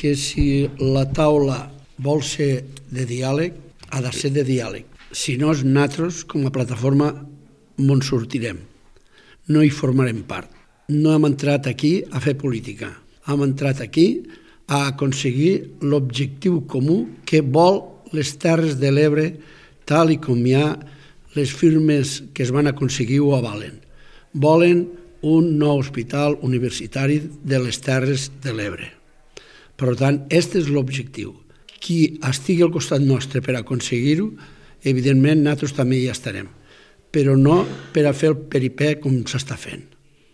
que si la taula vol ser de diàleg, ha de ser de diàleg. Si no, nosaltres, com a plataforma, en sortirem. No hi formarem part. No hem entrat aquí a fer política. Hem entrat aquí a aconseguir l'objectiu comú que vol les Terres de l'Ebre, tal i com hi ha les firmes que es van aconseguir ho avalen. Volen un nou hospital universitari de les Terres de l'Ebre. Per tant, aquest és l'objectiu. Qui estigui al costat nostre per aconseguir-ho, evidentment nosaltres també hi estarem, però no per a fer el peripè com s'està fent.